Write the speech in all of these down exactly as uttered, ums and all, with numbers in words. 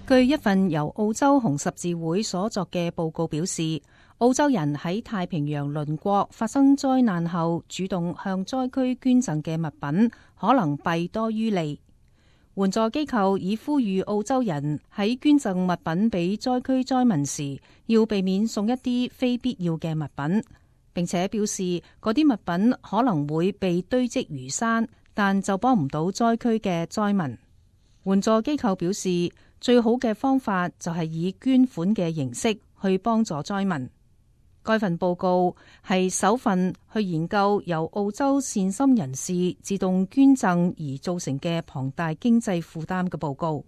據一份由澳洲紅十字會所作嘅報告表示，澳洲人喺太平洋鄰國發生災難後，主動向災區捐贈嘅物品可能弊多於利。援助機構已呼籲澳洲人喺捐贈物品俾災區災民時，要避免送一啲非必要嘅物品，並且表示嗰啲物品可能會被堆積如山，但就幫唔到災區嘅災民。援助機構表示，最好嘅方法就係以捐款嘅形式去幫助災民。該份報告係首份去研究由澳洲善心人士自動捐贈而造成嘅龐大經濟負擔嘅報告。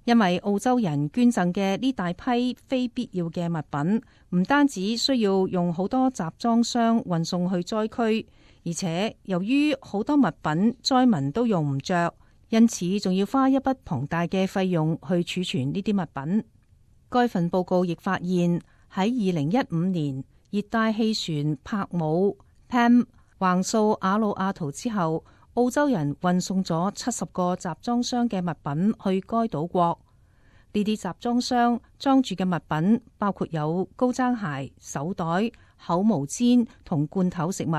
因為澳洲人捐贈嘅呢大批非必要嘅物品，唔單止需要用好多集裝箱運送去災區，而且由於好多物品災民都用唔着，因此仲要花一筆龐大嘅費用去儲存呢啲物品。該份報告亦發現喺二零一五年，熱帶氣旋帕姆 Pam 橫掃阿魯阿圖之後，澳洲人運送咗七十個集裝箱嘅物品去該島國。呢啲集裝箱裝住嘅物品包括有高踭鞋、手袋、口毛氈同罐頭食物。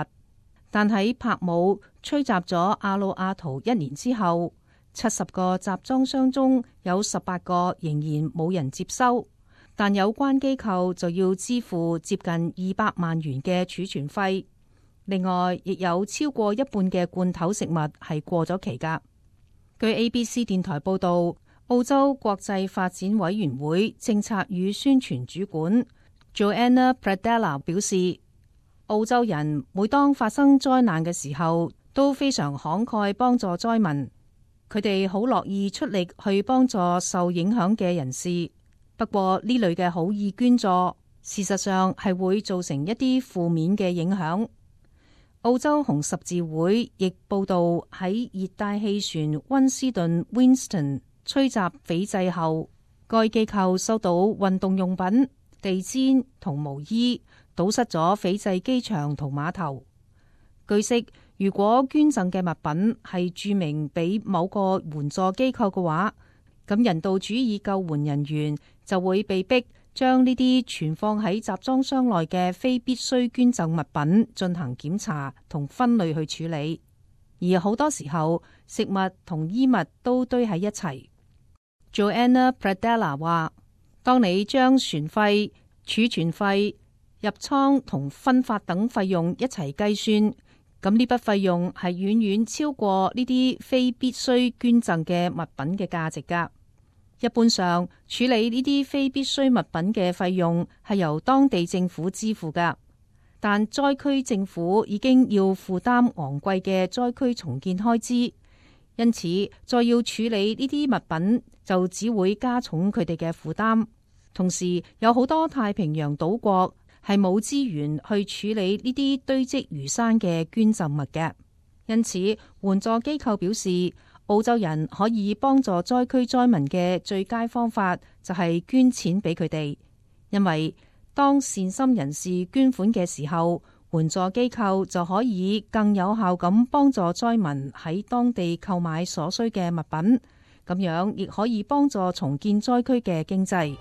但喺帕姆吹襲咗阿魯阿圖一年之後，七十個集裝箱中有十八個仍然冇人接收，但有關機構就要支付接近二百萬元嘅儲存費。另外，亦有超過一半嘅罐頭食物係過咗期㗎。據 A B C 電台報導，澳洲國際發展委員會政策與宣傳主管 Joanna Pradella 表示，澳洲人每當發生災難嘅時候都非常慷慨幫助災民，佢哋好樂意出力去幫助受影響嘅人士。不過呢類嘅好意捐助，事實上係會造成一啲負面嘅影響。澳洲紅十字會亦報道喺熱帶氣旋溫斯頓 Winston 吹襲斐濟後，該機構收到運動用品、地氈同毛衣，堵塞咗斐濟機場同碼頭。據悉，如果捐贈嘅物品係註明俾某個援助機構嘅話，咁人道主義救援人員就會被逼將呢啲存放喺集裝箱內嘅非必須捐贈物品進行檢查同分類去處理，而好多時候食物同衣物都堆喺一齊。Joanna Pradella 話，當你將船費、儲存費、入倉同分發等費用一齊計算，咁呢筆費用係遠遠超過呢啲非必須捐贈嘅物品嘅價值㗎。一般上，處理呢啲非必需物品嘅費用係由當地政府支付㗎，但災區政府已經要負擔昂貴嘅災區重建開支，因此再要處理呢啲物品就只會加重佢哋嘅負擔。同時，有好多太平洋島國係冇資源去處理呢啲堆積如山嘅捐贈物嘅，因此援助機構表示，澳洲人可以幫助災區災民嘅最佳方法就係捐錢俾佢哋，因為當善心人士捐款嘅時候，援助機構就可以更有效咁幫助災民喺當地購買所需嘅物品，咁樣亦可以幫助重建災區嘅經濟。